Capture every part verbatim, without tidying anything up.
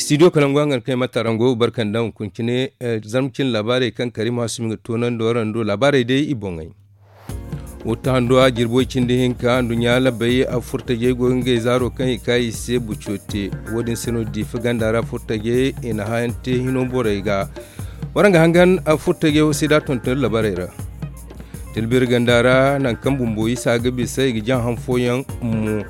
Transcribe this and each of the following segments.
Studio kalangu hangan kaŋ i ma tarango barka nda hunkuna cine. Zarma cine laabaarey kaŋ kariima hasumi ga toonandi warando laabaarey day i boŋey. Wata hando a jirbo cindi hinka nduɲɲa labbey a furtajey go ga ngey zaaro kaŋ i ka i se buco te. Wo- din se no diifa ganda ra furtajey i na hayan te hino borey ga. Waraŋ ga hangan a furtajey wo se da tonton labaarey ra. Tilbir ganda ra nangu kaŋ bumbo isa ga bisa i ga jaŋ han fooyaŋ mo.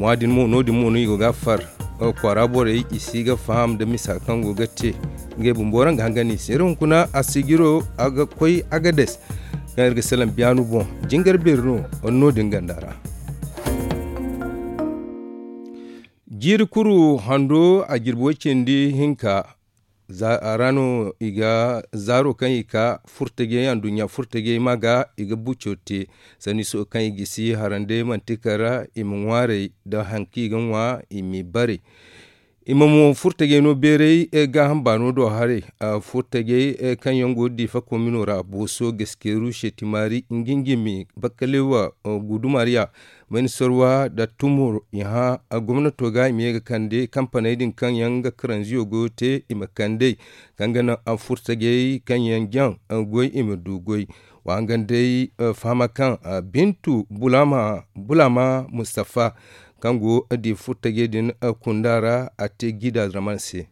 Mo- din mo no- din mo no i go ga a far. Kwaara borey i si ga faham nda misa kaŋ go ga te. Ngey bumbo waraŋ ga hangan i se iri hunkuna a sigiro a ga koy agades. Kaŋ iri ga salaŋ biyaanu boŋ jingar beeri no. No- din ganda ra jiiri kuru hando a jirbi way cindi hinka. A ra no i ga zaaro kaŋ i ka furtajey anduɲɲa furtajey ma ga i ga buco te. Sanni sohõ kaŋ i gisi harandey manti kar ra i ma ŋwaaray nda hari kaŋ i ga ŋwa i m'i bare. I ma mo furtajey no beeray gaaham baano do haray. Furtajey kaŋ yaŋ go diifa komino ra booso gaskeeru seetimaari nginjimi bakkalewa gudumariya. Mayni sorwa nda tumur i hã gomnato ga i ma ye ga kande kampaney din kaŋ yaŋ ga karanziyo goyo te i ma kand'ey kaŋ ga naŋ furtajey kaŋ yaŋ jaŋ goy i ma du goy. Wa hangan day fahama kaŋ bintu bulama mustapha kaŋ go di furtajey din kunda ra a te gida raman se.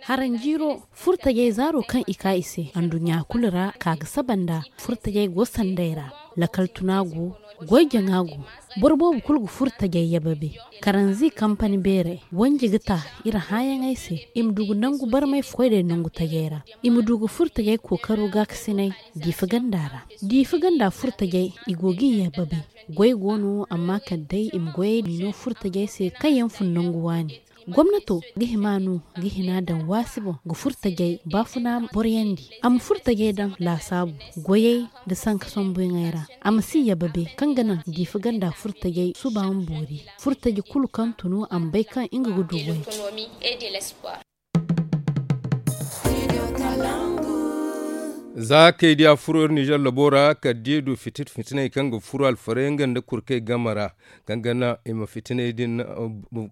Haranjiiro furtajey zaaro kaŋ i ka i se anduɲɲa kulu ra ka ga saba nda furtajey go sanday ra. Lakal tuna go goy jaŋa go. Boro boobo kulu ga furtajey yababe karanzi kampani beerey wanji ga ta iri hãayaŋey se i ma du ga nangu barmay koy day nangu tajey ra. I ma du ga furtajey kookaro gaakasinay diifa ganda ra. Diifa ganda furtajey i go ga i yababe. Goy go no amma kala day i ma goyey miino furtajey se kaŋ yaŋ fun nangu waani. Gomnato ga hima no ga hina daŋ waasi boŋ ga furtajey baafuna boroyandi a ma furtajey daŋ laasaabu goyey nda sanka sambuyaŋey ra. A ma si yababe kaŋ ga naŋ diifa ganda furtajey suba ma boori. Furtaje kulu kaŋ tunu a ma bay kaŋ nga ga du goy. Za kay diya furo iri nizer labo ra kala da i du fitina fitiney kaŋ ga furo alfarey nga nda kurkey game ra kaŋ ga naŋ i ma fitiney din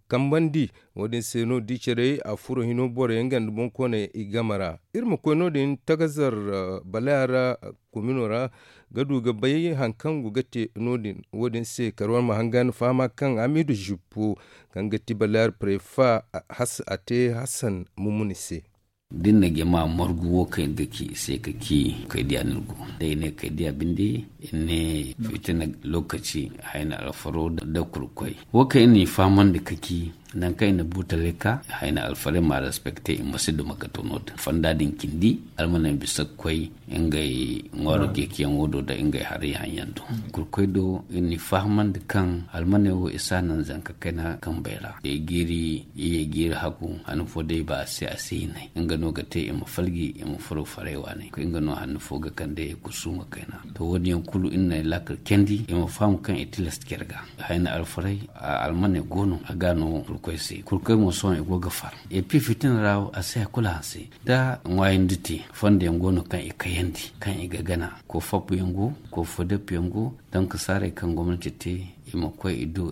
kambandi. Wo- din se no da i care a furo hino borey nga nda boŋkooney i game ra. Iri ma koy no- din tagazar baleya ra komino ra ga du ga bay hari kaŋ go ga te no- din wo- din se kala war ma hangan fahama kaŋ hamidu zippo kaŋ ga ti baleya ra prefa a te hassan mumuni se. Da iri na jama margu wo kaŋ iri ga ci i se ka ci kaydiya no iri go. Da i ne kaydiya binde iri ne fitina lokaci hayna alfaro nda kurkoy wo kaŋ iri n'i fahamandi ka ci nangu kaŋ i na buutaley ka hayna alfarey ma respekte i ma si duma ga to no- din fonda din cindi almaney bisa ga koy ngey ŋwaaro ceeciyaŋo do nda ngey haray haŋyaŋ do. Kurkoy do iri n'i fahamandi kaŋ almaney wo i si a naŋ zanka kayna kambey ra i ye jiiri hagu han fo day ba a se a si hinay nga no ga te i ma falji i ma furo faray waaney nga no han fo ga kande i kusuuma kayna. To wo- din yaŋ kulu iri na ay laakal candi i ma faham kaŋ i tilas care ga hayna alfarey almaney go no a ga no kurkoy se kurkoy mo sohõ i go ga far. Epi fitina ra a si hay kulu hanse da ŋwaayandi te fondo yaŋ go no kaŋ i kayandi kaŋ i ga gana ko fappu yaŋ go ko fo dappu yaŋ go donk saaray kaŋ gomnati te i ma koy i do.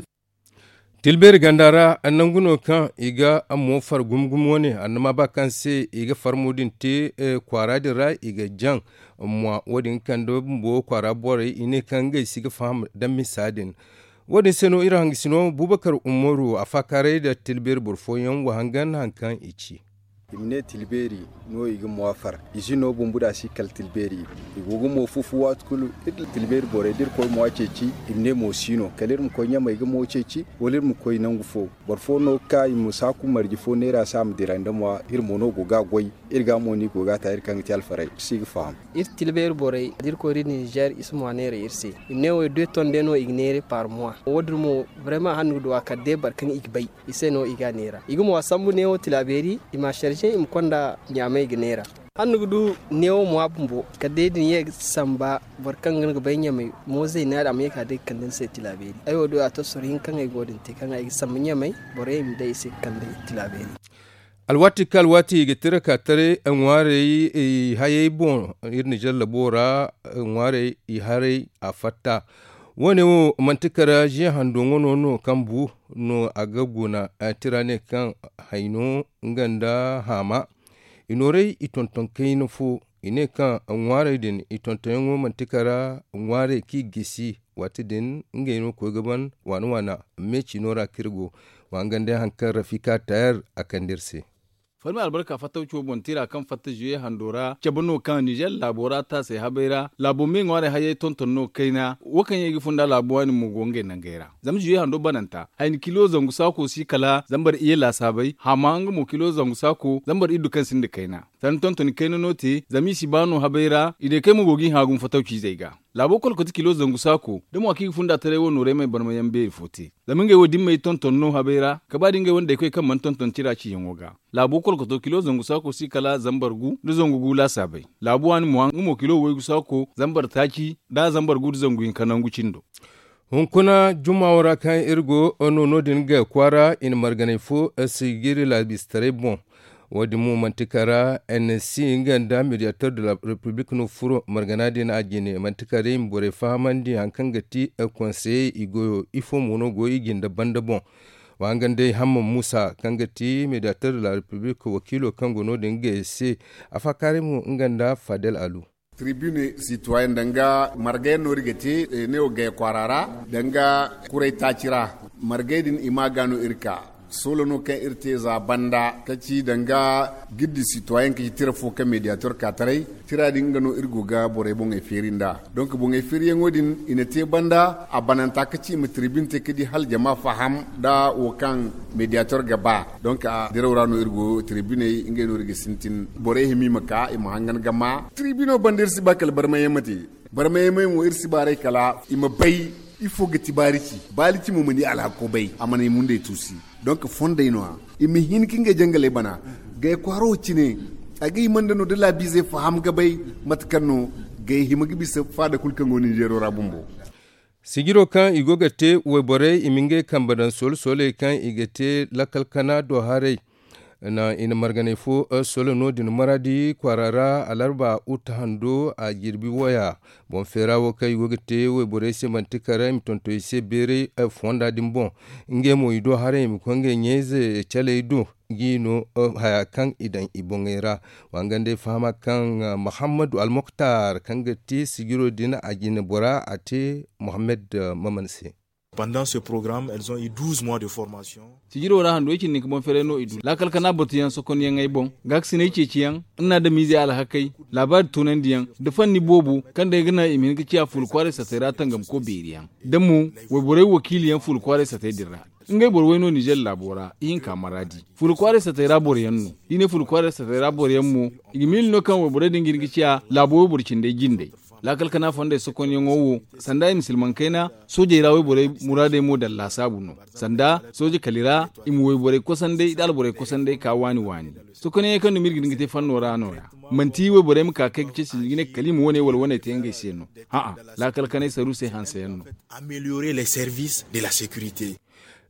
Tilbeeri ganda ra nangu no kaŋ i ga mo far gumo gumo wane annama ba kaŋ se i ga farmo din te kwaara din ra i ga jaŋ mwa wo- din ga kande bumbo kwaara borey i ne kaŋ ngey si ga faham da misa din. Wo- din se no iri hangasino bubakar umaru a faakaaray nda tilbeeri boro fooyaŋ wa hangan hari kaŋ i ci. I ma ne tilbeeri no i ga mwa far. Ize no bumbo da si kala tilbeeri i go ga mo fufu waati kulu. Tilbeeri borey da iri koy mwa ceeci i ma ne mo si no kala iri ma koy ɲamey ga mo ceeci wala iri ma koy nangu fo. Boro fo no ga ka i ma saaku marje fo neera se a ma dira nda mwa iri mo no go ga a goy. Iri ga mo no i go ga a ta iri kaŋ ga te alfarey si ga faham. Iri tilbeeri borey da iri koy da iri ninzeer i si mwa neera iri se. I ma ne wo de tonde no i ga neera par mwa wo- din mo. Barema hanno ga du a kala de boro kaŋ i ga bay i se no i ga a neera i ga mwa sambu neewo tilaabeeri i ma a sarze i ma konda ɲaamay ga neera. Hanno ga du neewo mwa bumbo kala day da ni ye ga samba boro kaŋ ga ni ga bay ɲaamay moozey no ya- din a ma ye ga ka day ga kande ni se tilaabeeri ay wo do a to soro hinka kaŋ ay go din te kaŋ ay ga samba ɲaamay borey ma day i se ga kande tilaabeeri. Alwaati kaŋ alwaati i ga tira ka taray ŋwaarey i hayey boŋ iri na jallabo ra ŋwaarey i haray a fatta. Wo- ne wo manti kara ziya hando ŋwano no kaŋ bu no a ga guna. Tira ne kaŋ hayno nga nda haama i nooray i tonton kayna fo. I ne kaŋ ŋwaaray din i tontonyaŋo manti kara ŋwaaray kaŋ i gisi waati din ngey no koy ga ban waana waana. Me ciino ra kaŋ iri go wa hangan day hari kaŋ rafika tayar a kande iri se. Falmi albarka fattawco boŋ tira kaŋ fatta zuye hando ra cabe no kaŋ nizer laabo ra taasay habay ra laabo me ŋwaaray hayey tonton no kayna wo kaŋ yaŋ i ga funda laabo waani mo go ngey nangey ra. Zama zuye hando bananta hayni kilo zangu saako si kala zambar iye laasaabay haama nga mo kilo zangu saako zambar iddu kaŋ sinda kayna. Sanda tontoni kayna no te zama i si ba no habay ra i day kaŋ ay mo go ga i hã gumo fattawciizey ga. Laabo kolkoto kilo zangu saako da mo a kaŋ i ga funda taray wo nooray may barmayaŋ beeri fo te. Zama ngey wo dimmey tonton no habay ra ka ba da ngey wane daykoy kaŋ mana tonton tira ciyaŋo ga. Laabo kolkoto kilo zangu saako si kala zambar gu nda zangu gu laasaabay. Laabu waani mo nga mo kilo waygu saako zambar taaci nda zambar gu nda zangu hinka nangu cindo. Hunkuna jumma wo ra kaŋ iri go no no- din ga kwaara i na marganay fo sijiri laabistaray boŋ. Wo- din mo manti kara n s nga nda mediator de la repiblik no furo margana din a jine manti kara i ma borey fahamandi hari kaŋ ga ti konseyey i goyo ifo mo no go i jinde banda boŋ. Wa hangan day hamman muusa kaŋ ga ti mediator de la repiblik wakiilo kaŋ go no- din ngey se. Afaakaaray mo nga nda fadel alu. Tribune sitoyen danga margayaŋ no iri ga te ne wo gay kwaara ra danga kuray taaci ra. Margay din i ma ga no iri ka soola no kaŋ iri te za banda ka ci danga giddi sitoyen ka ci tira fo kaŋ mediator ka taray. Tira din nga no iri go ga borey boŋey feeri nd'a. Donk boŋey feeriyaŋo din i na te banda a bananta ka ci i ma tribune te ka di hala jama faham nda wo kaŋ mediator ga ba. Donk a diraw ra no iri go tribuney ngey no iri ga sintin borey hima i ma ka i ma hangan ga ma. Tribuno banda iri si ba kala barmayaŋ ma te. Barmayaŋ mo iri si baaray kala i ma bay ifo ga ti baarici baarici mo ma ni alhako bay a mana i mundey tuusi. Donk fondey no- ya i ma hin ka ngey jangaley bana. Gay kwaaro cine a ga hima nda no da laabiizey faham ga bay mate kaŋ no gay hima ga bisa faada kulu kaŋ go ninzeero ra bumbo. Sijiro kaŋ i go ga te wayborey i ma ngey kambe daŋ soole-sooley kaŋ i ga te lakkal kana do haray. I na marganay fo solo no- din maraadi kwaara ra alarba uta hando a jirbi waya. Boŋ feera wo kaŋ i go ga te wayborey se manti kara i ma tonton i se beeray fonda din boŋ. Ngey mo i do haray i ma koy ngey ɲayze caley do. G'i no haya kaŋ i daŋ i boŋey ra. Wa nga nd'ay fahama kaŋ mahammadu almoktar kaŋ ga ti sijiro din a jine bora a te mohammed maman se. Pendant ce programme elles ont eu douze mois de formation. Sijiro ra hando i cindi ka boŋ feeray no i du laakal kana batuyaŋ sokonyaŋey boŋ gaakasinay ceeciyaŋ, nna da miize alhakey, laabaari tunandiyaŋ, da fanni boobo kaŋ day ga naŋ i ma hin ga ciya fuula kwaaray satey ra tangamko beeriyaŋ, da mo wayborey wakiiliyaŋ fuula kwaaray satey din ra. Ngey boro way no nizer laabo ra ihinka maraadi. Fuula kwaaray satey ra boroyaŋ no. Da i ne fuula kwaaray satey ra boroyaŋ mo, i ga miila no kaŋ wayborey din ga hin ga ciya laabo wayboro cindey jindey. Laakal kana fondey sokonyaŋo wo, sanda i ma silmaŋ kayna soojey ra wayborey muraadey mo daŋ laasaabu no. Sanda sooje kali ra i ma wayborey kosandey da alborey kosandey ka waani waani. Sokonyaŋey kaŋ dumi iri ga hin ga te fanno ra no- ya. Manti wayborey ma ka kay ga ceeci i ga ne kala i ma wane wala wane te ngey se no. A'a, laakal kanay saru se hanseyaŋ no. Améliorer les services de la sécurité.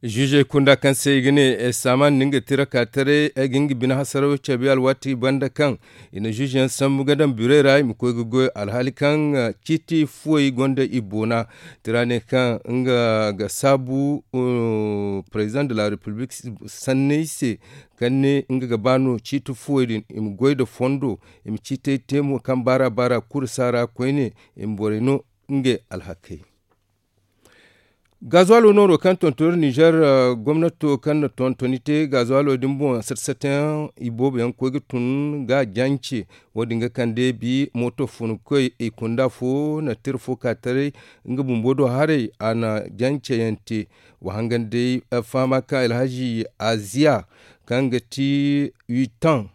Ziizey kunda kaŋ se i ga ne saaman nda nga tira ka taray ay ga nga bine hasaraw cabe alwaati banda kaŋ i na ziizeyaŋ sambu ga daŋ birey ra i ma koy ga goy alhaali kaŋ ciiti fuwey gonda i boona. Tira ne kaŋ nga ga saabu president de la république sanney se kaŋ ne nga ga ba no ciiti fuwey din i ma goy nda fondo i ma ciitey te mo kaŋ baara baara kulu saara koyne i ma borey no ngey alhakey. Gazuwalo nooro kaŋ tonton iri nizer gomnato kaŋ na tontoni te gazuwalo din boŋ sata satayaŋ i boobo yaŋ koy ga tun ga a jance. Wo-din ga kande bi mooto funkoy i kunda fo na tira fo ka taray nga bumbo do haray a na janceyaŋ te. Wa hangan day fahama kaŋ alhazi aziya kaŋ ga ti witaŋ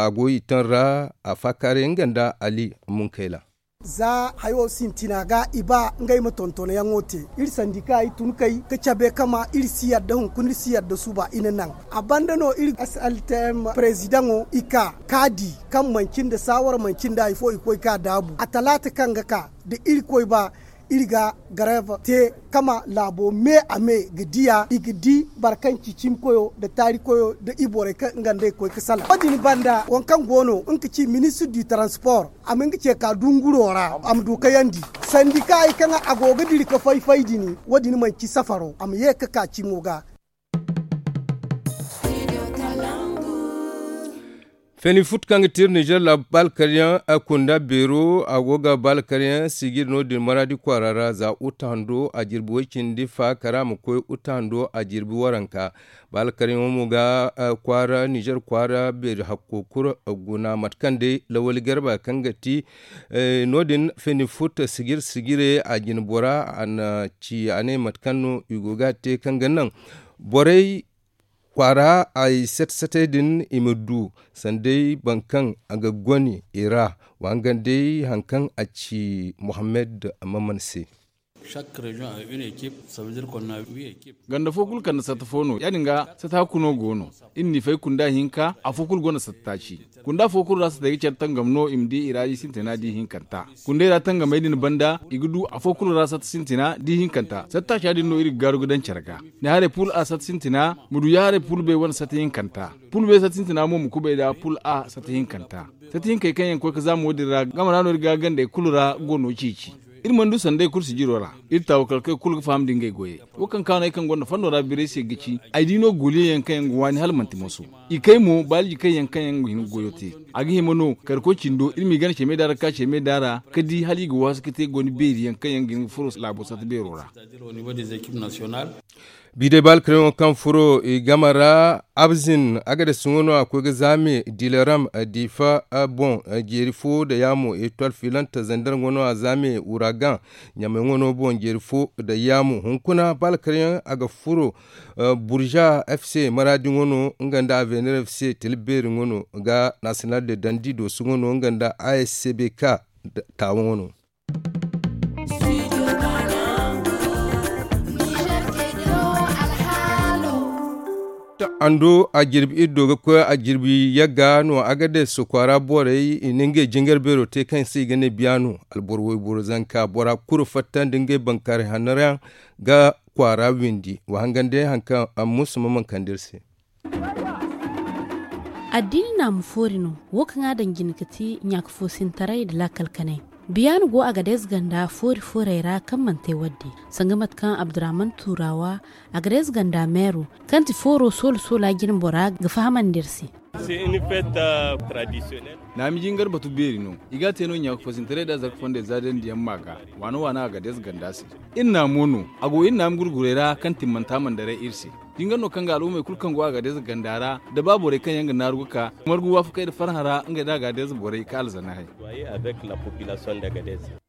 a go witaŋ ra a faakaaray nga nda ali munkayla. Za hayo sintina ga i ba ngey ma tontonyaŋo te iri sandika i tun kay ga cabe kama iri si yadda hunkuna iri si yadda suba i na naŋ. A banda no iri sltm prezidaŋo i ka ka di kaŋ manci nda saawara manci nda hari fo i koy ka daabu a talaata kaŋ ga ka da irkoy ba iri ga garev te kama laabo me a me ga diya i ga di boro kaŋ ci cimikoyo nda taarikoyo nda i borey kaŋ nga nda i koy ga salaŋ wo- din banda waŋ kaŋ go no nga ga ci ministre du transport a ma nga ce ka dunguro ra a ma du kayandi. Sandikaayey kaŋ a go ga diri ga fay-fay din, wo- din manti safaro, a ma ye ga ka cimo ga. Feni fut kaŋ ga te iri nizer laabo baalkaryaŋ kunda beero a go ga baalkaryaŋ sijir no- din maraadi kwaara ra za uta hando a jirbi way- cindi fa kara ma koy uta hando a jirbi waranka. Baalkaryaŋo mo ga kwaara nizer kwaara beeri hakko kulu guna mate kaŋ day lawali garba kaŋ ga ti no- din feni fut sijir sijire a jine bora a na ci a ne mate kaŋ no i go ga a te kaŋ ga naŋ borey kwaara ay sat-satey din i ma du sanday boro kaŋ a ga goni i ra. Wa hangan day hari kaŋ a ci muhammad maman se. Ganda fo kulu kande satta fo no ya- din ga satta hakku no go no. Iri n'i fay kunda hinka afo kulu gonda satta taaci. Kunda fo kulu ra satay ga care tangam no i ma di i ra di sintina di hinkanta. Kundey ra tangamey din banda i ga du afo kulu ra satta sintina di hinkanta satta taaca din no iri ga gaaru ga daŋ care ga. Ni haray pul a satta sintina ma du ya haray pul bay wane satta hinkanta. Pul bay satta sintina mo ma kubay nda pul a satta hinkanta. Satta hinkey kaŋ yaŋ ga koy ga zaama wo- din ra game ra no iri ga gandey kulu ra go no ceeci. Iri mana du sanday kulu sijiro ra. Iri taawakalkey kulu ga faham nda ngey goyey. Wo kaŋ kaanay kaŋ gonda fondo ra birey se ga ci ay di no goliyaŋ yaŋ kaŋ yaŋ ga waani hala manti moso. I kay mo baaliji kaŋ yaŋ kaŋ yaŋ ga hin ga goyo te. A ga hima no kar koy cindo iri m'i gana ceme daara ga ka ceme daara ga di hala i ga waasu ga te goni beeri yaŋ kaŋ yaŋ ga hin ga furo laabo satta beero ra. Bi day baalkaryaŋo kaŋ furo i game ra abzin agades ŋwa no a koy ga zaame dilaram difa boŋ jeeri fo nda yaamo etwal filanta zander ŋwa no a zaame wuragan ɲamay ŋwa no boŋ jeeri fo nda yaamo hunkuna baalkaryaŋ a ga furo burza fc maraadi ŋwa no nga nda avener fc tila beeri ŋwa no ga national de dandi dooso ŋwa no nga nda ascbk taawa ŋwa no. Ando a jirbi iddo ga koy a jirbi yagga no a ga day sokwaara borey i na ngey jingar beero te kaŋ se i ga ne biya no alboro wayboro zanka bora kulu fatta nda ngey bankaaray hanno ra yaŋ ga kwaara windi wa hangan day hari kaŋ a musu ma mankandi iri se. Addiini naamu foori no wo kaŋ a daŋ jine ga ti ɲaaka foosintaray nda laakal kanay. Biyaana go a ga deeze ganda foori foorey ra kaŋ mana te wadde sanga mate kaŋ abdurahman tuuraawa a ga deeze ganda meero kaŋ ti fooro soola soola jine bora ga fahamandi iri se. Naami jingar batu beeri no i ga a te no ɲaaka foosintaray nda zarka fondey za dandi yaŋ ma ga waana waana a ga deeze ganda se. Iri naamo no a go iri naami gurgurey ra kaŋ timmanta mana daray iri se. Jingar no kaŋ ga al'ummey kulu kaŋ go a ga deeze ganda ra da ba borey kaŋ yaŋ ga naaru ga ka margu waafakey nda farhã ra ngey nda a ga deeze borey ka alzana hay.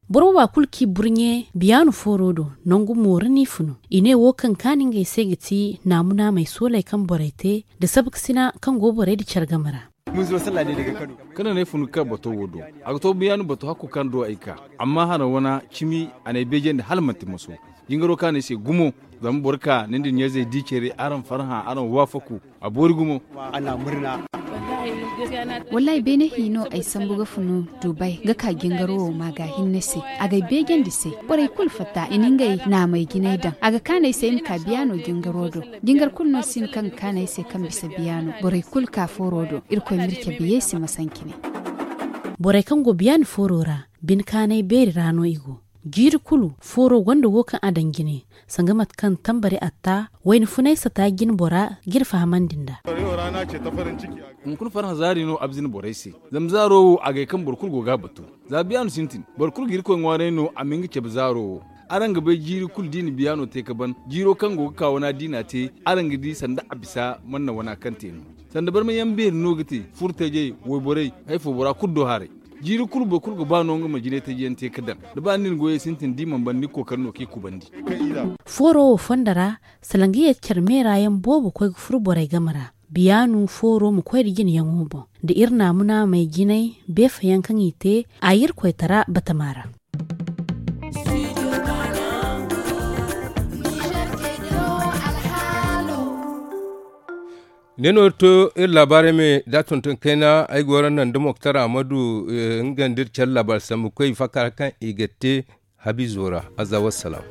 Boro booba kulu kaŋ i burɲe biyaanu fooro do nangu mooro no i funu. I ne wo kaŋ kaanu ngey se ga ti naamu naamey sooley kaŋ borey te nda sabkasina kaŋ go borey nda care game ra. Kala no ay funu ga ka bato wo do a ga to biyaanu bato hakko kaŋ do ay ka. Amma haraŋ wana cimi a n'ay beejandi hala manti moso. Jingaro kaŋ a n'ay se gumo. Zama boro ka ni nda ni ɲa-izey di care araŋ farhã araŋ waafaku. A boori gumo. Wallaahi beene hi no ay sambu ga funu dubai ga ka jingaro wo ma ga hinne se. Ag'ay beejandi se. Borey kulu fatta i na ngey naamey jinay daŋ a ga kaanay se ay ma ka biyaano jingaro do. Jingar kulu no si no kaŋ ga kaanay se kaŋ bisa biyaano borey kulu ka fooro do. Irkoy m'iri cabe yeesi masancine. Borey kaŋ go biyaani fooro ra bine kaanay beeri ra no i go. Jiiri kulu fooro gonda wo kaŋ a daŋ jine sanga mate kaŋ tambari atta wayna funay sata jine bora g'iri fahamandi nd'a. Hunkuna farhã zaari no abzin borey se. Zama zaaro wo a gay kaŋ boro kulu go ga a batu. Za biyaanu sintin boro kulu ga irkoy ŋwaaray no a ma hin ga cabe zaaro wo. Araŋ ga bay jiiri kulu da i na biyaano te ga ban jiiro kaŋ go ga ka wana da i n'a te. Araŋ ga di sanda a bisa manna wana kaŋ te no. Sanda barma yaŋ beeri no ga te furtajey wayborey. Hay fo bora kulu do haray. Jiiri kulu boro kulu ga ba no nga ma jinay taji yaŋ te ga daŋ da ba ni na goyey sintin da i mana ban ni ga kookari no kaŋ i kubandi. Fooro wo fondo ra salanga ye care meera yaŋ boobo koy ga furo borey game ra. Biyaanu fooro ma koy nda jinayaŋo boŋ nda iri naamu naamey jinay beefa yaŋ kaŋ i te a irkoytara batama ra. Ne no iri to iri laabaarey me da tonton kayna ay go ra naŋ da moktar ahmadu. Nga nda iri care laabaari sambu koy faakara kaŋ i ga te habiizo ra. Azza wassalam.